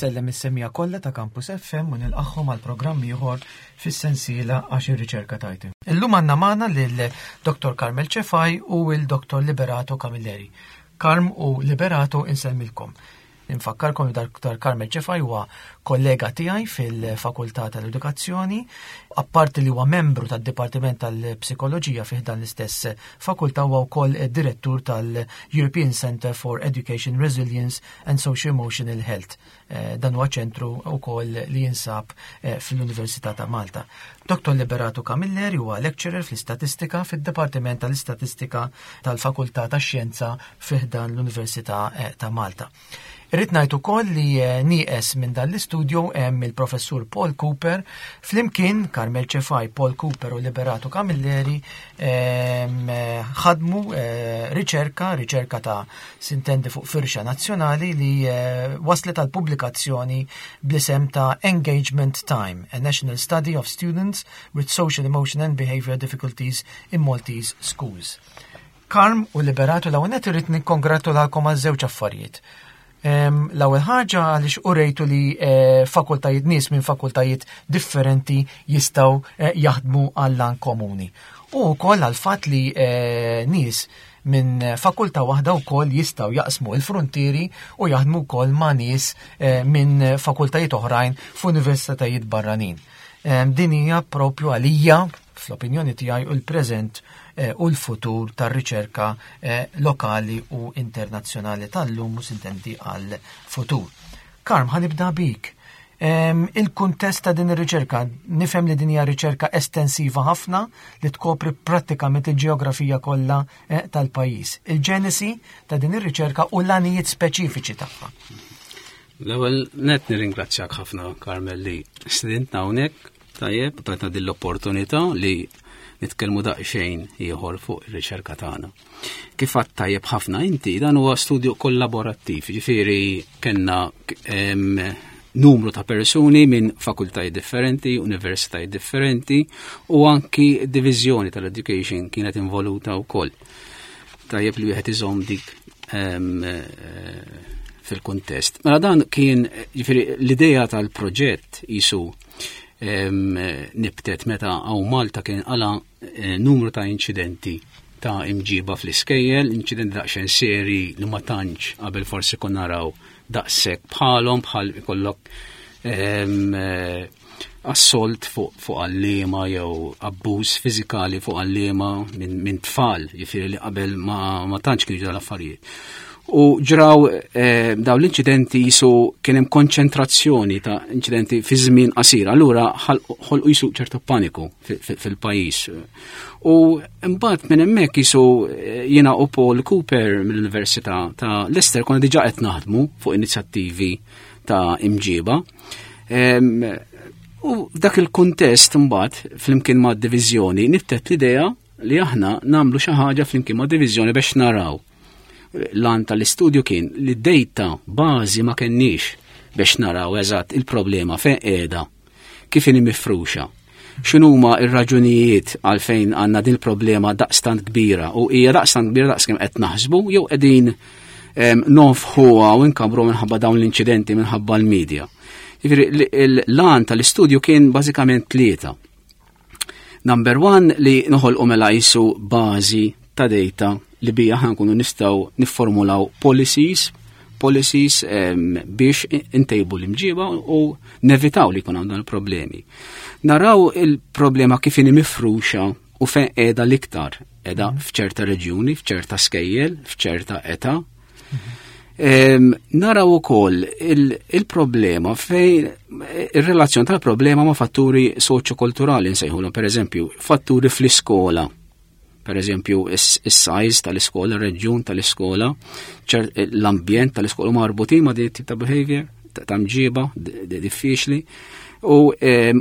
Insellem is-semmiegħa kollha ta' Campus FM u nilqagħhom għal programm ieħor fis-sensiela għax ir-riċerka tajti. Illum għandna magħna lil Dr. Carmel Cefai u l Dr. Liberato Camilleri. Karm u Liberato insellmilkom. Infakkarkom li Dr. Carmel Cefai huwa kollega tiegħi fil-Fakultà tal-Edukazzjoni, apparti li huwa membru tad-Dipartiment tal-Psikoloġija fih dan l-istess fakultà huwa wkoll direttur tal-European Center for Education Resilience and Socio-Emotional Health. Eh, dan huwa ċentru wkoll li jinsab eh, fl-Università ta' Malta. Dr. Liberato Camilleri huwa lecturer fl-istatistika fid-Dipartiment tal-Istatistika tal-Fakultà tax-Xjenza fi ħdan l-Università eh, ta' Malta. Irrid ngħid ukoll li nieqes minn dan l-istudju hemm il-Professur Paul Cooper flimkien Carmel Cefai, Paul Cooper u Liberato Camilleri ehm, ħadmu riċerka, riċerka ta' sintendi fuq firxa nazzjonali li eh, waslet għal pubblikazzjoni bl-isem ta' Engagement Time, a National Study of Students with Social, Emotion and Behavior Difficulties in Maltese Schools. Karm u Liberatu l-ewwel nett irrid nikkongratulalkom għal żewġ affarijiet. L-ewwel ħaġa għaliex urejtu li eh, fakultajiet nies minn fakultajiet differenti jistgħu eh, jaħdmu għall-an komuni. U wkoll għal fatt li nies minn fakultà waħda wkoll jistgħu jaqsmu l-fruntieri u jaħdmu wkoll ma' nies eh, minn fakultajiet oħrajn f'universitajiet barranin. Eh, din hija propju għalija fl-opinjoni tiegħi u l-preżent eh, u l-futur tar-riċerka lokali u internazzjonali tal-lum u sintendi għal-futur. Karm, ħanibda bik. Il-kuntest ta' din ir-riċerka, nifhem li din hija riċerka estensiva ħafna li tkopri prattikament il-ġeografija kollha eh, tal-pajjiż. Il-ġenesi ta' din ir-riċerka u l-għanijiet speċifiċi tagħha. L-ewwel net nirringrazzjak ħafna Carmel li stidintna hawnhekk tajjeb tajtna din l-opportunità li nitkellmu daqsxejn ieħor fuq ir-riċerka tagħna. Kif għadt tajjeb ħafna inti, dan huwa studju kollaborattiv, ġifieri kellna numru ta' persuni minn fakultajiet differenti, universitajiet differenti u anki diviżjoni tal-education kienet involuta wkoll. Tajjeb li wieħed iżomm dik eh, fil-kuntest. Mela dan kien ġifieri l-idea tal-proġett jisu nibtet meta hawn Malta kien qala Eh, numru ta' inċidenti ta' imġiba fl-iskejjel, inċidenti daqsxejn seri li ma tantx qabel forsi kon naraw daqshekk bħalhom bħal ikollok ehm, eh, assolt fuq fu għallima jew abbuż fiżikali fuq għallima minn min tfal, jifieri li qabel ma, ma tantx kienu ġraw l-affarijiet. U ġraw eh, daw l-inċidenti jisu kien hemm konċentrazzjoni ta' inċidenti fi żmien qasir, allura ħolqu jisu ċertu paniku fil-pajjiż. U mbagħad minn hemmhekk jisu eh, jiena u Paul Cooper mill-Università ta' Leicester konna diġà qed naħdmu fuq inizjattivi ta' imġiba. U f'dak il-kuntest mbagħad flimkien ma' diviżjoni niftet l-idea li aħna nagħmlu xi ħaġa flimkien ma' diviżjoni biex naraw. L-għan tal-istudju kien li d-data bażi ma kenniex biex naraw eżatt il-problema fejn qiegħda, kif inhi mifruxa, x'inhuma r-raġunijiet għalfejn għandna din il-problema daqstant kbira u hija daqstant kbira daqskemm qed naħsbu jew qegħdin nonfħuha u nkabru minħabba dawn l-inċidenti minħabba l-medja. Jiġifieri l-għan tal-istudju kien bażikament tlieta. Number one li noħolqu mela jisu bażi ta' data li bija ħankunu nistgħu nifformulaw policies policies biex intejbu l-imġiba u nevitaw li jkun għandhom il-problemi. Naraw il-problema kif inhi mifruxa u fejn qiegħda l-iktar, qiegħda mhm. f'ċerta reġjuni, f'ċerta skejjel, f'ċerta età. Mhm. Naraw ukoll il-problema fejn ir-relazzjoni tal-problema ma' fatturi soċjokulturali nsejħulhom, pereżempju, fatturi fl-iskola per eżempju is-size tal-iskola, ir-reġjun tal-iskola, l-ambjent tal-iskola marbutin ma' din tip ta' behavior, ta' mġiba diffiċli, u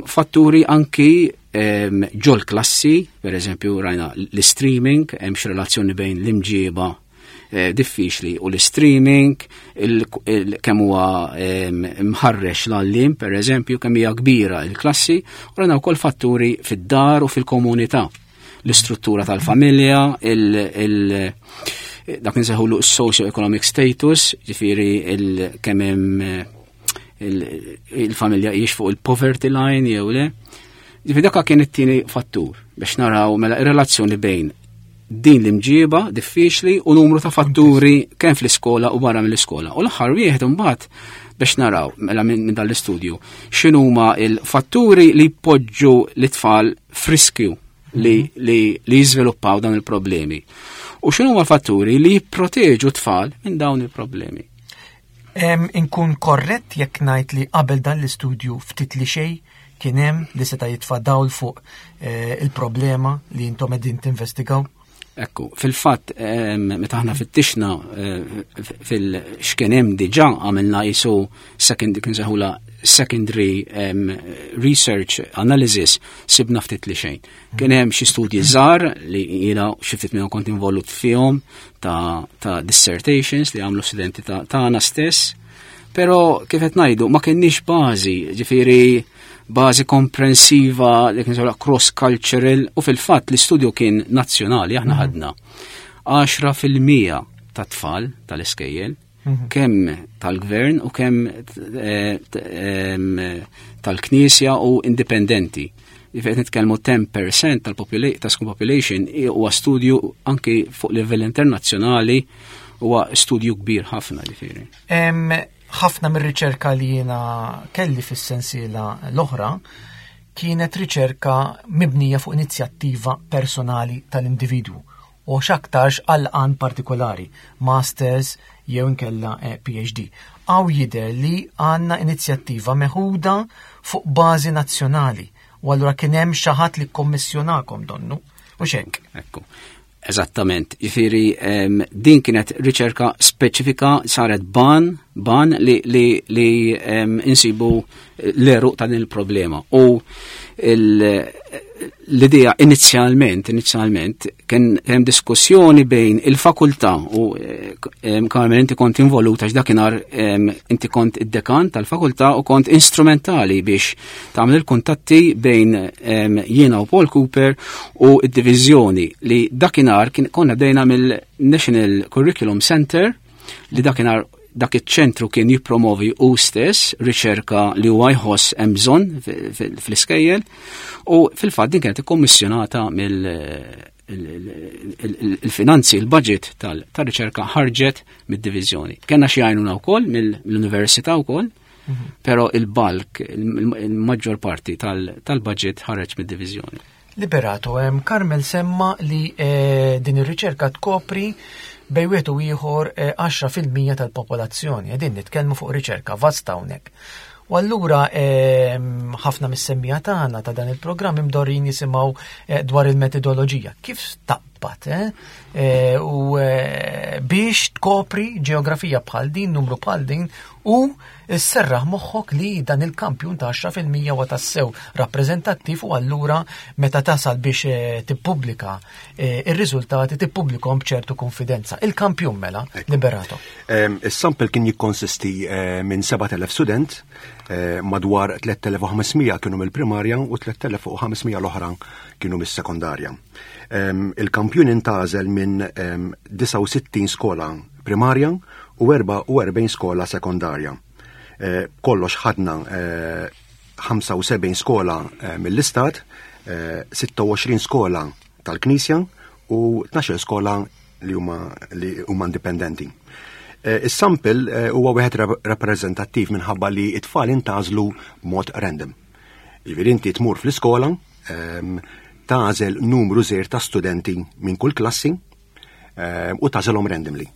fatturi anki ġol klassi, per eżempju rajna l-streaming, hemm relazzjoni bejn l-imġiba eh, diffiċli u l-streaming, kemm huwa mħarrex l-għallim, per eżempju, kemm hija kbira il-klassi, u rajna wkoll fatturi fid-dar u fil-komunità. L-istruttura tal-familja, il- dak nsejħulu socio-economic status, ġifieri kemm hemm il-familja hijiex fuq il-poverty line jew le. Ġifieri dak kien it-tieni fattur biex naraw mela ir-relazzjoni bejn din l-imġiba diffiċli u numru ta' fatturi kemm fl-iskola u barra mill-iskola. U l-aħħar wieħed imbagħad biex naraw mela minn dan l-istudju x'inhuma il-fatturi li jpoġġu l-itfal f'riskju li, mhm. li, li jiżviluppaw dawn il-problemi. U x'inhuma l-fatturi li jipproteġu tfal minn dawn il-problemi. Inkun korrett jekk ngħid li qabel dan l-istudju ftit li xejn kien hemm li seta' jitfa' dawl fuq eh, il-problema li intom qegħdin tinvestigaw? Ekku, fil-fatt, meta aħna fittixna eh, fil-xkien hemm diġà għamilna jisu second, kien seħula secondary research analysis sibna ftit li xejn. Kien hemm xi studji żgħar li jiena xi ftit minnhom kont involut fihom ta', ta dissertations li għamlu studenti tagħna stess. Però kif qed ngħidu ma kenniex bażi, ġifieri bażi komprensiva li kien cross cultural u fil-fatt l-istudju kien nazzjonali aħna mhm. ħadna 10% ta' tfal tal-iskejjel mhm. kemm tal-gvern u kemm eh, tal-knisja u indipendenti. Qed nitkellmu 10% tal-ta' school population huwa studju anki fuq livell internazzjonali huwa studju kbir ħafna ġifieri. Ħafna mir-riċerka li jiena kelli fis-sensiela l-oħra kienet riċerka mibnija fuq inizjattiva personali tal-individwu u x'aktarx għal għan partikolari, masters jew inkella eh, PhD. Għaw jidher li għandna inizjattiva meħuda fuq bażi nazzjonali u allura kien hemm xi ħadd li kkommissjonakom donnu u xek. Ekku. Eżattament, jifieri din kienet riċerka speċifika saret ban, ban li, li, li insibu l-eruq ta' din il-problema. U l-idea inizjalment, inizjalment, kien hemm diskussjoni bejn il-fakultà u Carmen inti kont involuta x'dakinhar inti kont id-dekan tal-fakultà u kont instrumentali biex tagħmel il-kuntatti bejn jiena u Paul Cooper u id-diviżjoni li dakinhar kien konna bdejna mill-National Curriculum Center li dakinhar dak iċ-ċentru kien jippromovi u stess riċerka li huwa jħoss hemm bżonn fl-iskejjel u fil-fatt din kienet ikkommissjonata mill il-finanzi, il-budget tal-riċerka ħarġet mid-diviżjoni. Kenna xi għajnuna wkoll mill-università wkoll, mhm. però il-bulk, il-maġġor parti tal-budget ħareġ mid-diviżjoni. Liberato, Carmel semma li eh, din ir-riċerka tkopri bej wieħed u ieħor 10% eh, tal-popolazzjoni. Qegħdin nitkellmu fuq riċerka vasta hawnhekk. U allura ħafna mis-semmija tagħna ta' dan il-programm imdorrin jisimgħu eh, dwar il-metodoloġija. Kif taqbad eh, u biex tkopri ġeografija bħal din, numru bħal din u Isserraħ moħħok li dan il-kampjun ta' 10% huwa tassew rappreżentattiv u allura meta tasal biex eh, tippubblika eh, ir-riżultati tippubblikhom b'ċertu konfidenza. Il-kampjun mela, liberato. Is-sample kien jikkonsisti eh, minn 7000 student, madwar 3500 kienu mill-primarja u 3500 l-oħra kienu mis-sekondarja. Il-kampjun intgħażel minn 69 skola primarja u 44 skola sekondarja. Eh, kollox ħadna 75 eh, skola eh, mill-istat, 26 skola tal-Knisja u 12 skola li huma li huma indipendenti. Is-sample huwa wieħed rappreżentattiv minħabba li t-tfal intażlu b'mod random. Jiġifieri inti tmur fl-iskola, ehm, tagħżel numru żgħir ta' studenti minn kull klassi ehm, u tagħżelhom randomly.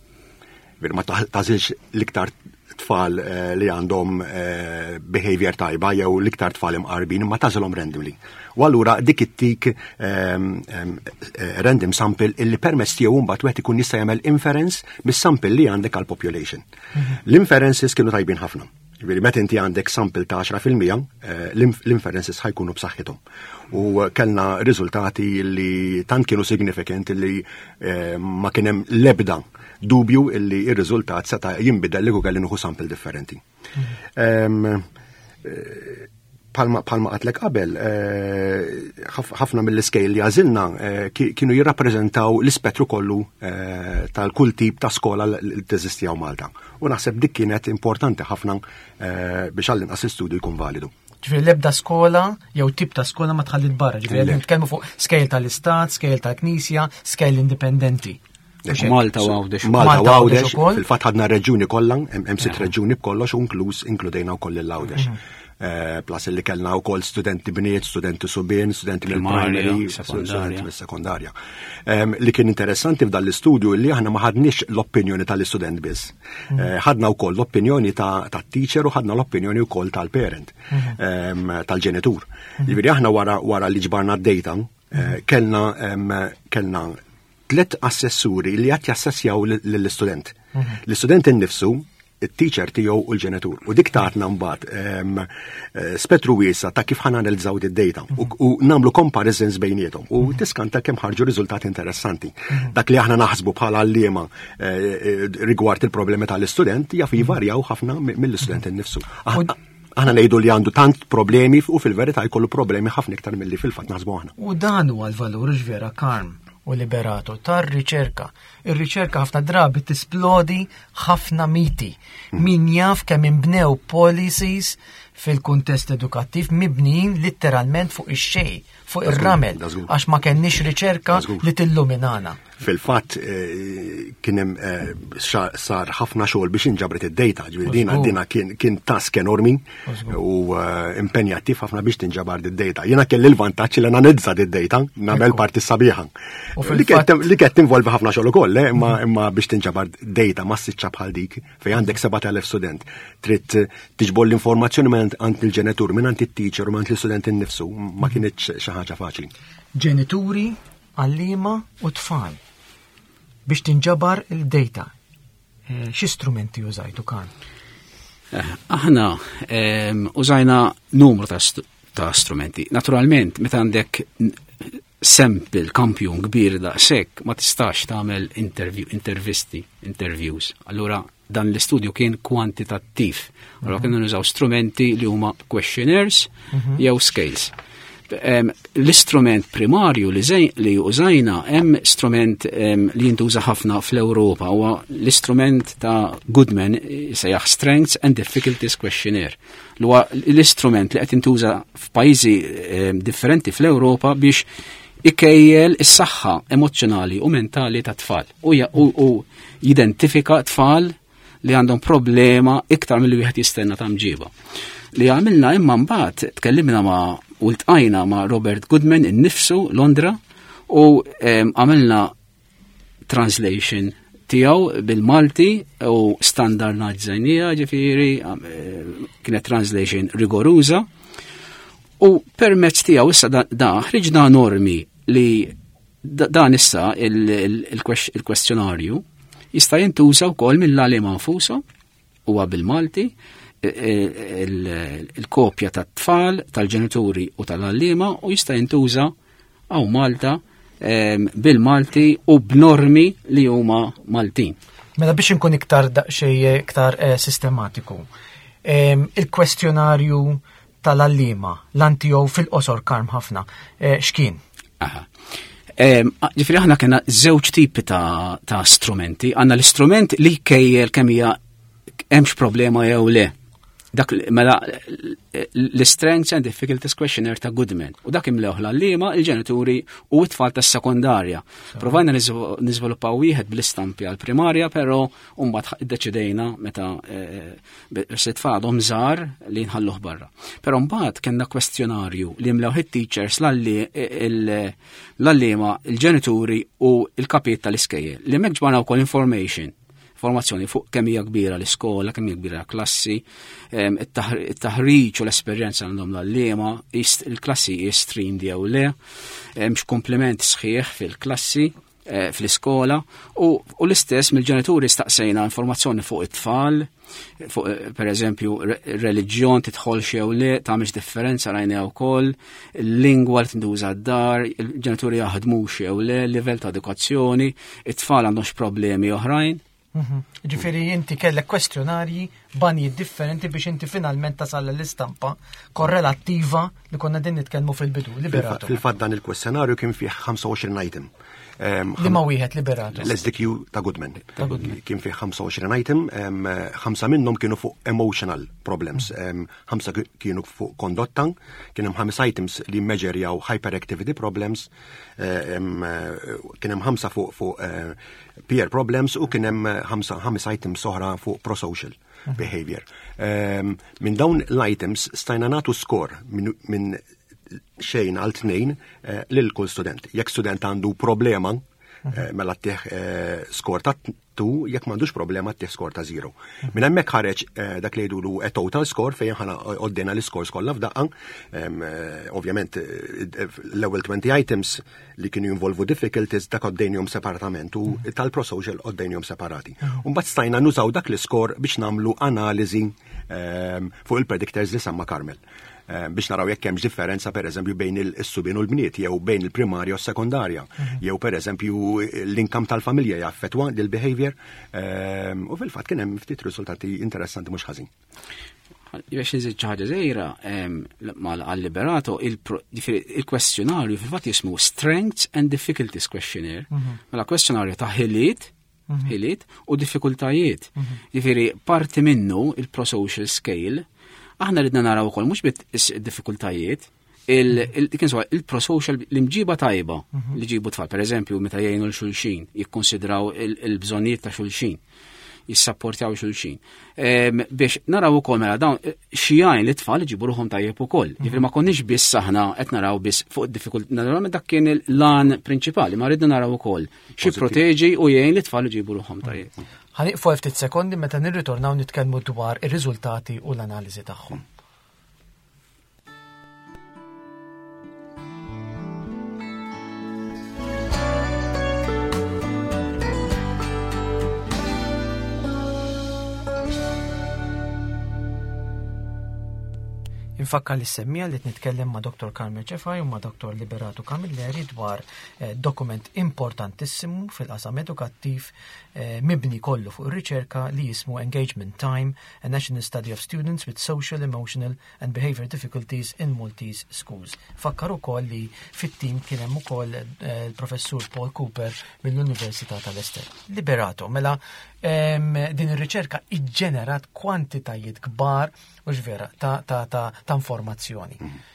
Bir ma tażilx l-iktar tfal eh, li għandhom eh, behavior tajba jew l-iktar tfal imqarbin, ma tażilhom randomly. U allura dik it-tik ehm, eh, random sample illi permezz tiegħu mbagħad wieħed ikun jista' jagħmel inference mis-sample li għandek għal population. Mhm. L-inferences kienu tajbin ħafna. Ġifieri meta inti għandek sample ta' 10% eh, l-inferences ħajkunu b'saħħithom. U kellna riżultati li tant kienu significant li eh, ma kien hemm l-ebda dubju li r-riżultat seta' jinbidel li kelli nieħu sample differenti. Mhm. Eh, Palma għedtlek qabel, eh, ħafna mill-iskejjel li għażilna eh, kienu jirrappreżentaw l-ispettru kollu eh, tal-kull tip ta' skola li teżisti hawn Malta. U naħseb dik kienet importanti ħafna biex għall-inqas l-istudju jkun validu. Ġifieri l-ebda skola jew tip ta' skola ma tħallit barra, ġifieri nitkellmu fuq skejjel tal-istat, skejjel tal-knisja, skejjel indipendenti. Malta u Għawdex. Malta u Għawdex, fil-fatt ħadna reġjuni kollha, hemm sitt reġjuni b'kollox u inkluż inkludejna wkoll lil Għawdex. Mhm. Eh, plus li kellna wkoll studenti bniet, studenti subien, studenti mill-primary, studenti mis-sekondarja. Li kien interessanti f'dan l-istudju li aħna ma ħadniex l-opinjoni tal-istudent biss. Mhm. Eh, ħadna wkoll l-opinjoni ta' teacher u ħadna l-opinjoni wkoll tal-parent, mhm. tal-ġenitur. Jiġifieri aħna wara li ġbarna d-data, eh, kellna kellna tlet assessuri li qed jassessjaw lill-istudent. Mhm. L-istudent innifsu, it-teacher tiegħu u l-ġenitur. U dik tatna mbagħad eh, spettru wiesa ta' kif ħa nanalizzaw id-data u mhm. nagħmlu comparisons bejniethom u mhm. tiskanta kemm ħarġu riżultati interessanti. Dak li aħna naħsbu bħala għalliema eh, eh, rigward il-problemi tal-istudent jaf jivarjaw ħafna mill-istudent innifsu. Aħna ngħidu li għandu tant problemi u fil-verità jkollu problemi ħafna iktar milli fil-fatt naħsbu aħna. U dan huwa l-valur vera Karm u Liberato tar-riċerka. Ir-riċerka ħafna drabi tisplodi ħafna miti. Min jaf kemm inbnew policies fil-kuntest edukattiv mibnijin letteralment fuq ix-xejn, fuq ir-ramel, għax ma kenniex riċerka li tilluminana. Fil-fatt eh, kien hemm eh, sar ħafna xogħol biex inġabret id-data, ġifieri dina dina kien task enormi u eh, impenjattiv ħafna biex tinġabar id-data. Jiena kelli l-vantaġġ li nanalizza id-data, nagħmel parti sabiħa. Li qed tinvolvi ħafna xogħol ukoll, imma imma biex tinġabar data massiċċa bħal dik fejn għandek 7000 student, trid tiġbor l-informazzjoni minn għand il-ġenitur, minn għand it-teacher u minn l-istudent innifsu, ma kinitx xi ħaġa faċli. Ġenituri għalliema u tfal biex tinġabar il-data. Eh, xi strumenti użajtu kan? Eh, aħna ehm, użajna numru ta' strumenti. Naturalment, meta għandek sample, kampjun kbir daqshekk, ma tistax tagħmel interview, intervisti, interviews. Allura dan l-istudju kien kwantitattiv. Allura kienu nużaw strumenti li huma questionnaires mhm. jew scales. L-istrument primarju li, li użajna hemm strument li jintuża ħafna fl-Ewropa huwa l-istrument ta' Goodman sejjaħ Strengths and Difficulties Questionnaire. Li huwa l-istrument li qed jintuża f'pajjiżi differenti fl-Ewropa biex ikejjel is-saħħa emozzjonali u mentali ta' tfal u, u, u jidentifika tfal li għandhom problema iktar milli wieħed jistenna ta' mġiba. Li għamilna imma mbagħad tkellimna ma' u ltqajna ma' Robert Goodman innifsu Londra u għamilna translation tiegħu bil-Malti u standardizzajnija ġifieri kienet translation rigoruża u permezz tiegħu issa da, da ħriġna normi li dan issa il-kwestjonarju jista' jintuża wkoll mill-għalima nfushom huwa bil-Malti il-kopja tat-tfal, tal-ġenituri u tal-għalliema u jista' jintuża hawn Malta bil-Malti u b'normi li huma Maltin. Mela biex inkun iktar daqsxejn iktar eh, sistematiku. Il-kwestjonarju tal-għalliema, l-antio fil-qosor karm ħafna, eh, x'kien? Aha. Ġifieri aħna kena żewġ tipi ta', ta strumenti. Għandna l-istrument li jkejjel kemm hija hemmx problema jew le. Dak mela l-Strengths and Difficulties Questionnaire ta' Goodman. U dak imlewh l-għalliema, il-ġenituri u t-tfal tas-sekondarja. Provajna niżviluppaw wieħed bl-istampi għall-primarja, però mbagħad iddeċidejna meta eh, se tfal għadhom żgħar li nħalluh barra. Però mbagħad kellna kwestjonarju li mlew it-teachers l-għalliema, il-ġenituri u l-kapijiet tal-iskejjel li hemmhekk ġbarna wkoll information informazzjoni fuq kemm hija kbira l-iskola, kemm hija kbira l-klassi, it-taħriġ u l-esperjenza għandhom l-għalliema, il-klassi hi streamed jew le, hemmx komplement sħiħ fil-klassi, Eh, fl-iskola u, u l-istess mill-ġenituri staqsejna informazzjoni fuq it-tfal, fuq eh, per eżempju reliġjon tidħol jew le, tagħmilx differenza rajna wkoll, il-lingwa li tinduża d-dar, il-ġenituri jaħdmux jew le, livell ta' edukazzjoni, it-tfal għandhomx problemi oħrajn. Mhm. Ġifieri inti kellek kwestjonarji banji differenti biex inti finalment tasal l-istampa korrelattiva li konna din nitkellmu fil-bidu, liberato. Fil-fatt dan il-kwestjonarju kien fih 25 item. Li ma wieħed liberato. L-SDQ ta' Goodman. Kien fih 25 item, ħamsa minnhom kienu fuq emotional problems, ħamsa kienu fuq kondotta, kien hemm ħames items li meġerjaw hyperactivity problems, eh, eh, kien hemm ħamsa fuq fuq eh, peer problems u kien hemm ħamsa ħames items oħra fuq prosocial mhm. behavior. Ehm, minn dawn l-items stajna nagħtu score minn xejn għal tnejn eh, lil kull student. Jekk student għandu problema, mhm. eh, mela tih eh, skor ta' 2, jekk m'għandux problema tih skor ta' 0. Mhm. Minn hemmhekk ħareġ dak li jgħidulu a total score fejn ħana għoddejna l-iskors kollha f'daqqa. Ovvjament l-ewwel 20 items li kienu jinvolvu difficulties dak għoddejnihom separatament u mhm. tal-prosocial għoddejnihom separati. Mbagħad stajna nużaw dak l-iskor biex nagħmlu analiżi fuq il-predictors li semma Carmel. Eh, biex naraw jekk hemmx differenza pereżempju bejn is-subien u l-bniet jew bejn il-primarja u s-sekondarja mhm. jew pereżempju l-inkam tal-familja jaffettwa lil behavior eh, u fil-fatt kien hemm ftit riżultati interessanti mhux ħażin. Biex nżid xi ħaġa żgħira għal-liberato il-kwestjonarju fil-fatt jismu Strengths and Difficulties Questionnaire. Mhm. Mela kwestjonarju ta' ħiliet mhm. ħiliet u diffikultajiet. Mhm. Jiġifieri parti minnu il-prosocial scale, aħna ridna naraw ukoll mhux bit diffikultajiet, il-prosocial l-imġiba tajba mhm. li ġibu tfal, per eżempju, meta jgħinu l-xulxin, jikkonsidraw il-bżonnijiet ta' xulxin jissapportjaw xulxin. Biex naraw ukoll mela dawn eh, xi jgħin li tfal iġibu ruħhom tajjeb ukoll. Mhm. Jiġifieri ma konniex biss aħna qed naraw biss fuq id-diffikultà, naturalment dak kien l-lan prinċipali, ma ridna naraw ukoll xi proteġi u jgħin li tfal iġibu ruħhom tajjeb. Ħaniqfu ftit sekondi meta nirritornaw nitkellmu dwar ir-riżultati u l-analiżi tagħhom. Infakkar li semmija li nitkellem ma' Dr. Carmel Ċefaj u ma' Dr. Liberato Camilleri dwar eh, dokument importantissimu fil-qasam edukattiv eh, mibni kollu fuq ir-riċerka li jismu Engagement Time, a National Study of Students with Social, Emotional and Behavior Difficulties in Maltese Schools. Fakkar ukoll li fit-tim kien hemm ukoll eh, il-professur Paul Cooper mill-Università tal-Ester. Liberato, mela din ir-riċerka iġġenerat kwantitajiet kbar u vera ta', ta, ta, ta informazzjoni. Mm -hmm.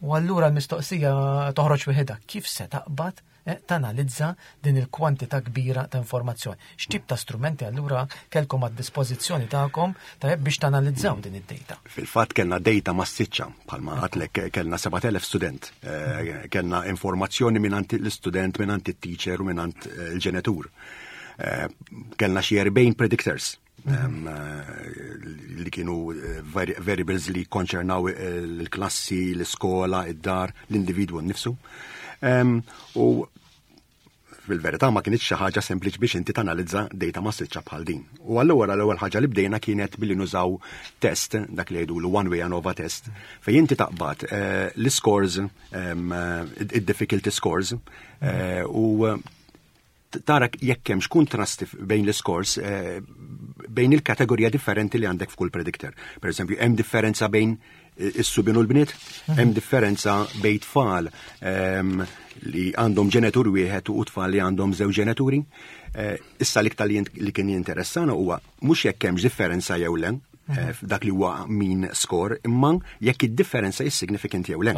U allura l-mistoqsija toħroġ wieħedha, kif se taqbad eh, tanalizza din il-kwantità kbira ta' informazzjoni? X'tip ta' strumenti allura kellkom għad-dispożizzjoni tagħkom tajjeb biex tanalizzaw din id-data? Fil-fatt kellna data massiċċa, bħalma għatlek kellna 7000 student, eh, kellna informazzjoni mingħand l-istudent, mingħand it-teacher u mingħand eh, il-ġenitur. Kellna xi 40 predictors Eh, li kienu eh, variables li konċernaw eh, l-klassi, l-iskola, id-dar, l-individwu nnifsu. U fil-verità ma kienx xi ħaġa sempliċi biex inti tanalizza data massiċċa bħal din. U allura l-ewwel ħaġa li bdejna kienet billi nużaw test, dak li jgħidu one way ANOVA test, fejn inti taqbad l-scores, id-difficulty scores, u tara jekk hemmx kuntrasti bejn l-iskors eh, bejn il-kategorija differenti li għandek f'kull predictor. Per eżempju, hemm differenza bejn eh, is-subien u l-bniet, mhm. hemm differenza bejn tfal ehm, li għandhom ġenitur wieħed u tfal li għandhom żewġ ġenituri. Eh, issa l-iktar li kien jinteressana huwa mhux jekk hemmx differenza jew le, eh, f'dak li huwa min score, imma jekk id-differenza is significant jew le.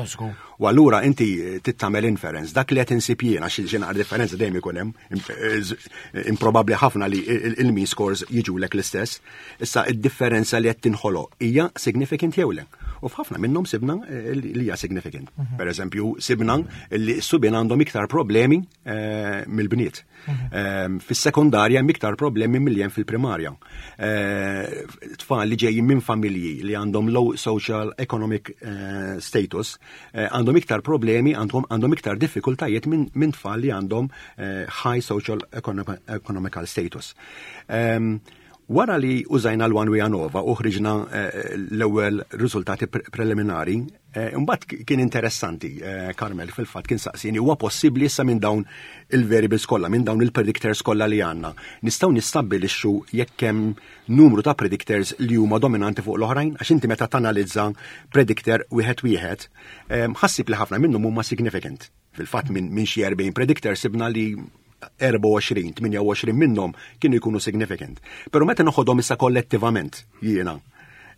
U allura inti eh, tittamel inference, dak li qed insib jien għax xi naqra differenza dejjem ikun hemm, eh, improbabbli ħafna li il-mean scores jiġulek l-istess, issa id-differenza li qed tinħoloq hija significant jew le. U f'ħafna minnhom sibna li hija significant. Mhm. Per eżempju, sibna li s-subien għandhom iktar problemi mill-bniet. Ehm, fis-sekondarja hemm iktar problemi milli hemm fil-primarja. Eh, tfal li ġejjin minn familji li għandhom low social economic eh, status eh, għandhom iktar problemi, għandhom iktar diffikultajiet minn tfal li għandhom high social economical status. Ehm, wara li użajna l-One Way ANOVA u ħriġna l-ewwel riżultati preliminari, Imbagħad kien interessanti, Carmel fil-fatt kien saqsini huwa possibbli issa minn dawn il-variables kollha, minn dawn il-predictors kollha li għandna. Nistgħu nistabbilixxu jekk hemm numru ta' predictors li huma dominanti fuq l-oħrajn, għax inti meta tanalizza predictor wieħed wieħed, ħa ssib li ħafna minnhom huma significant. Fil-fatt minn xi 40 predictor sibna li 24, 28 minnhom kienu jkunu significant. Però meta noħodhom issa kollettivament jiena,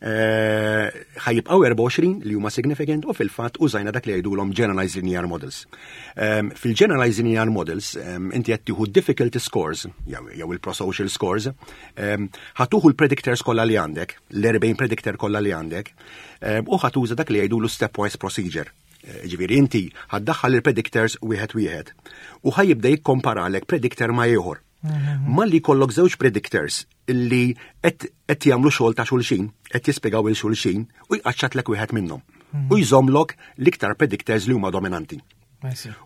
ħa jibqgħu 24 li huma significant u fil-fatt użajna dak li jgħidulhom generalized linear models. Fil-generalized linear models inti qed tieħu difficulty scores jew il-prosocial scores, ħa tieħu l-predictors kollha li għandek, l-40 predictor kollha li għandek, u ħa tuża dak li jgħidulu stepwise procedure. Ġifieri inti ħa ddaħħal il-predictors wieħed wieħed u ħa jibda jikkomparalek predictor ma' ieħor. Malli jkollok żewġ predictors illi qed jagħmlu xogħol ta' xulxin, qed jispjegaw il xulxin u jqaċċatlek wieħed minnhom. U jżommlok l-iktar predictors li huma dominanti.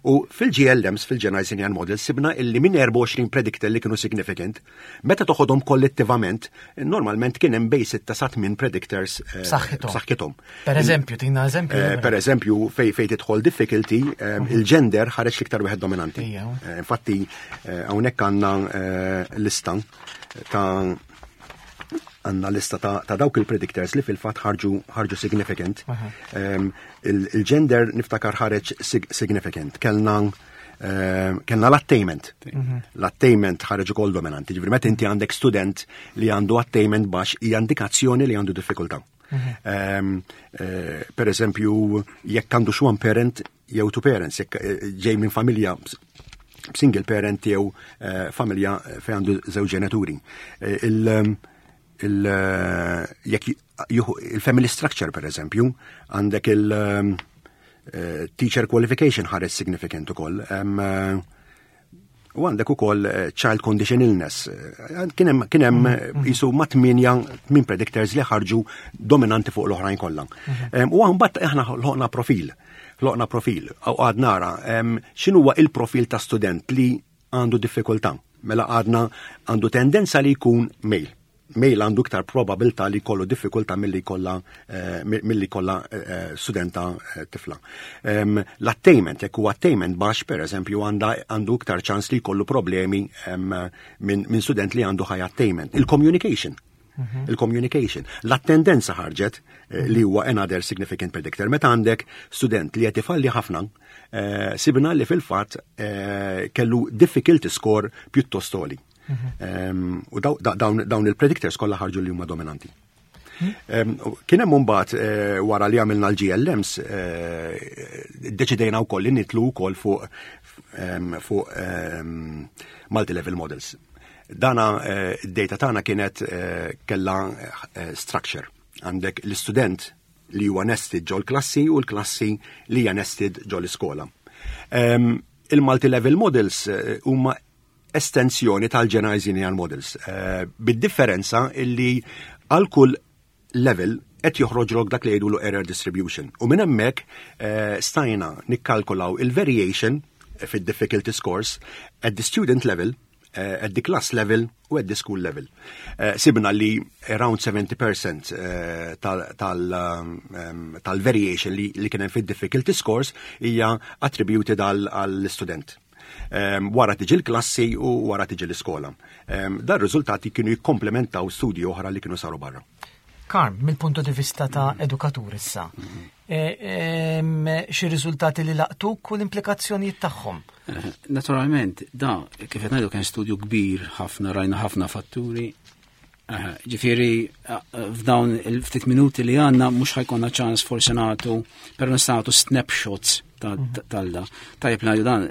U fil-GLMs, fil-Generalized Linear Models, sibna illi minn 24 predictor li kienu significant, meta toħodhom kollettivament, normalment kien hemm bejn 6 sa 8 predictors B'saħħithom. b'saħħithom. Per eżempju, tina eżempju. Per eżempju, fej tidħol difficulty, il-gender ħareġ l-iktar wieħed dominanti. Infatti, hawnhekk għandna lista ta' għandna lista ta' dawk il-predictors li fil-fatt ħarġu significant. Il-gender niftakar ħareġ significant. Kellna l-attainment. L-attainment ħareġ ukoll dominanti. Ġifieri meta inti għandek student li għandu attainment baxx hija indikazzjoni li għandu diffikultà. Per eżempju, jekk għandu xi one parent jew two parents, jekk ġej minn familja single parent jew familja fejn għandu żewġ ġenituri. Jekk juhu il-family structure, per eżempju, għandek il- teacher qualification ħareġ significant ukoll. U għandek ukoll child condition illness. Kien hemm jisu ma' tmien predictors li ħarġu dominanti fuq l-oħrajn kollha. U mbagħad aħna ħloqna profil. Ħloqna profil. U għad nara x'inhuwa il-profil ta' student li għandu diffikultà. Mela għadna għandu tendenza li jkun male. Male għandu iktar probabilità li jkollu diffikultà milli jkollha studenta tifla. L-attainment, jekk huwa attainment baxx, per eżempju, għandu iktar ċans li jkollu problemi minn student li għandu high attainment. Il-communication. Il-communication. L-attendenza ħarġet li huwa another significant predictor. Meta għandek student li qed ifalli ħafna, sibna li fil-fatt kellu difficulty score pjuttost għoli. U dawn il-predictors kollha ħarġu li huma dominanti. Kien hemm imbagħad wara li għamilna l-GLMs deċidejna wkoll li nitlu wkoll fuq multi-level models. Dana id-data tagħna kienet kellha structure. Għandek l-istudent li huwa nested ġol klassi u l-klassi li hija nested ġol iskola. Il-multi-level models huma estensjoni tal-generalized linear models, bid-differenza illi għal kull level qed joħroġlok dak li jgħidulu error distribution. U minn hemmhekk stajna nikkalkulaw il-variation fid-difficulty scores at the student level, at the class level u at the school level. Sibna li around 70% tal-variation li kien hemm fid-difficulty scores hija attributed għall-student. Wara tiġi l-klassi u wara tiġi l-iskola. Dar riżultati kienu jikkomplementaw studji oħra li kienu saru barra. Karm, mill-punto di vista ta' edukatur issa, xi riżultati li laqtuk u l-implikazzjonijiet tagħhom? Naturalment, da, kif qed ngħidu kien studju kbir ħafna, rajna ħafna fatturi. Ġifieri, f'dawn il-ftit minuti li għandna mhux ħa jkollna ċans forsi nagħtu, però nistgħu nagħtu snapshots tal-da. Tajjeb ngħidu dan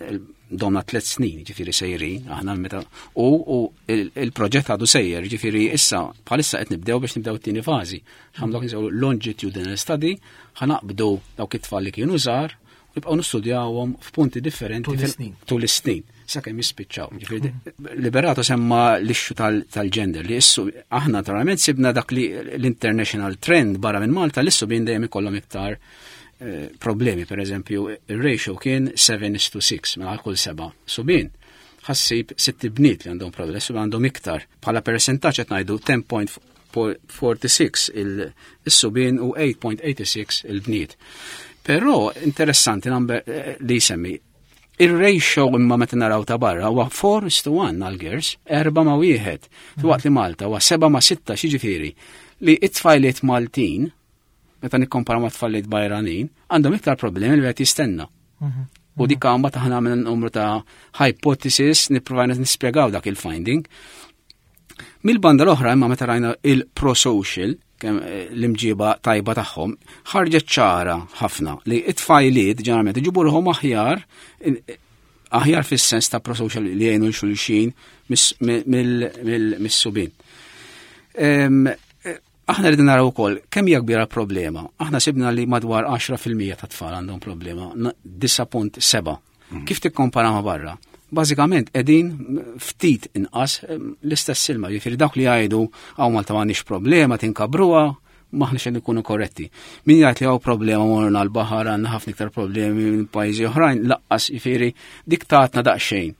domna 3 snin, ġifieri sejrin, aħna meta u il-proġett għadu sejjer, ġifieri issa bħalissa qed nibdew biex nibdew it-tieni fażi. Ħamlu nsew longitudinal study, ħanaqbdu dawk it-tfal li kienu żgħar u nibqgħu nistudjawhom f'punti differenti Tul is-snin. tul is-snin, sakemm jispiċċaw. Ġifieri Liberato semma l-issue tal-gender li issu aħna naturalment sibna dak li l-international trend barra minn Malta l-issu bin dejjem ikollhom iktar problemi, per eżempju, il-ratio kien seven is to six, mela għal kull 7 subien. Ħa ssib 6 bniet li għandhom problemi, subien għandhom iktar. Bħala percentaġġ qed ngħidu ten point forty-six il-subien u 8.86 il-bniet. Però interessanti number eh, li jsemmi Ir-ratio imma meta naraw ta' barra huwa 4 is to 1 għal girls, 4 ma' wieħed. Filwaqt li Malta huwa 7 ma' 6 xiġifieri li it-tfajliet Maltin meta nikkompara ma' tfajliet barranin għandhom iktar problemi li qed jistenna. Mhm. U dik għamba taħna minn numru ta' hypothesis nippruvajna nispjegaw dak il-finding. Mill-banda l-oħra imma meta rajna il-pro-social, kemm eh, l-imġiba tajba tagħhom, ħarġet ċara ħafna li it-tfajliet ġeneralment iġibu ruħhom aħjar aħjar fis-sens ta' prosocial li jgħinu xulxin mis-subin. Eh, aħna rridu naraw ukoll kemm hija kbira problema. Aħna sibna li madwar 10% ta' tfal għandhom problema, 9.7. Mm. Kif tikkompara ma' barra? Bażikament qegħdin ftit inqas l-istess ilma, jiġifieri dawk li jgħidu hawn Malta m'għandniex problema tinkabruha, maħniex qed ikunu korretti. Min jgħid li hawn problema morna l-baħar għandna ħafna iktar problemi minn pajjiżi oħrajn, laqqas jiġifieri dik tatna daqsxejn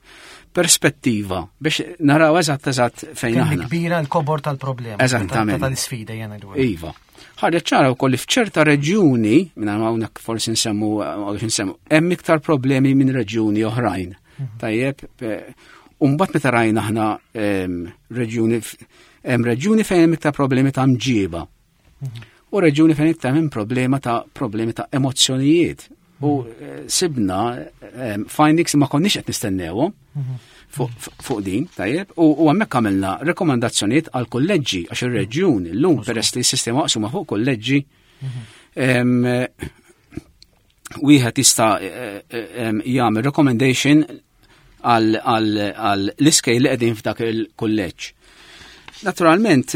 perspettiva biex naraw eżatt eżatt fejn aħna. Kbira l-kobor tal-problema. Eżattament. Tal-isfida jena dwar. Iva. Ħarġet ċara wkoll li f'ċerta reġjuni, minn hawnhekk forsi nsemmu nsemmu, hemm iktar problemi minn reġjuni oħrajn. Mhm. Tajjeb, u mbagħad meta rajna aħna reġjuni hemm reġjuni fejn hemm iktar problemi ta' mġiba. Mhm. U reġjuni fejn iktar hemm problema ta' problemi ta' emozzjonijiet. U mhm. eh, sibna findings ma konniex qed nistennewhom. Fuq din, tajjeb, u hemmhekk għamilna rekomandazzjonijiet għal kolleġġi għax ir-reġjun illum peress li s-sistema maqsuma fuq kolleġġi wieħed jista' eh, eh, jagħmel recommendation għal l-iskej li qegħdin f'dak il-kulleġġ. Naturalment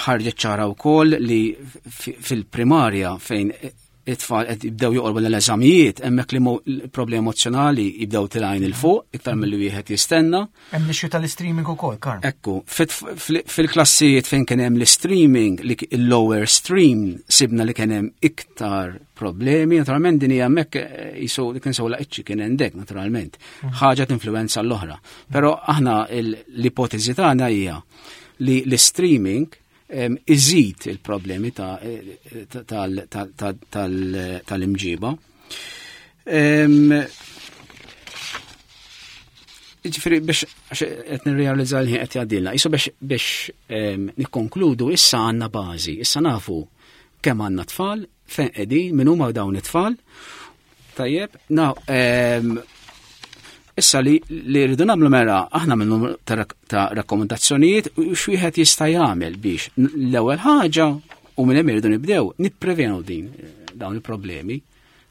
ħarġet ċara wkoll li fil-primarja fejn it-tfal qed jibdew joqorbu l-eżamijiet, hemmhekk li problemi emozjonali jibdew tilgħin il fuq iktar milli wieħed jistenna. Hemm l-issue tal-streaming ukoll, Karl. Ekku, fil-klassijiet fejn kien hemm l-streaming, li l-lower stream sibna li kien hemm iktar problemi, naturalment din hija hemmhekk eh, jisu li kien sewla iċċi kien hemmhekk naturalment. Mhm. Ħaġa tinfluwenza l-oħra. Però aħna l-ipoteżi tagħna hija li l-streaming iżid il-problemi tal-imġiba. Ġifiri, biex qed nirrealizza li qed jgħaddilna, jisu biex biex nikkonkludu issa għandna bażi, issa nafu kemm għandna tfal, fejn qegħdin, min huma dawn it-tfal, Tajjeb, na, issa li li rridu nagħmlu mela aħna minn numru ta' rakkomandazzjonijiet u x'wieħed jista' jagħmel biex l-ewwel ħaġa u minn hemm irridu nibdew nipprevenu din dawn il-problemi.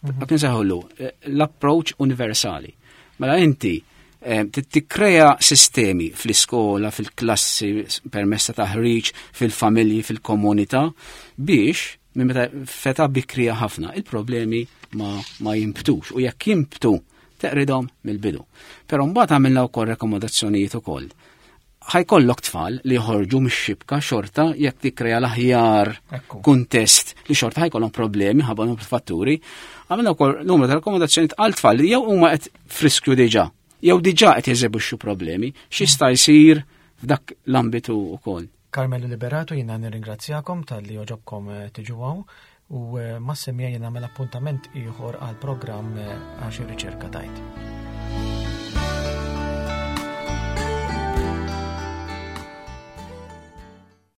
Mhm. Dak nseħħulu eh, l-approach universali. Mela inti eh, tikkrea sistemi fl-iskola, fil-klassi, permezz ta' taħriġ, fil-familji, fil-komunità biex minn meta feta bikrija ħafna, il-problemi ma, ma jimbtux u jekk jimbtu teqridhom mill-bidu. Però mbagħad għamilna wkoll rekomodazzjonijiet ukoll. Ħajkollok tfal li joħorġu mix-xibka xorta jekk tikkrea l-aħjar kuntest li xorta ħajkollhom problemi ħabba numru fatturi. Għamilna wkoll numru ta' rekomodazzjonijiet għal tfal li jew huma qed friskju diġà, jew diġà qed jeżebixxu problemi, x'jista' jsir f'dak l-ambitu wkoll. Carmelo Liberato jiena nirringrazzjakom talli għoġobkom eh, tiġu hawn u eh, mas-semija jien nagħmel appuntament ieħor għal programm eh, għax ir-riċerka tajt.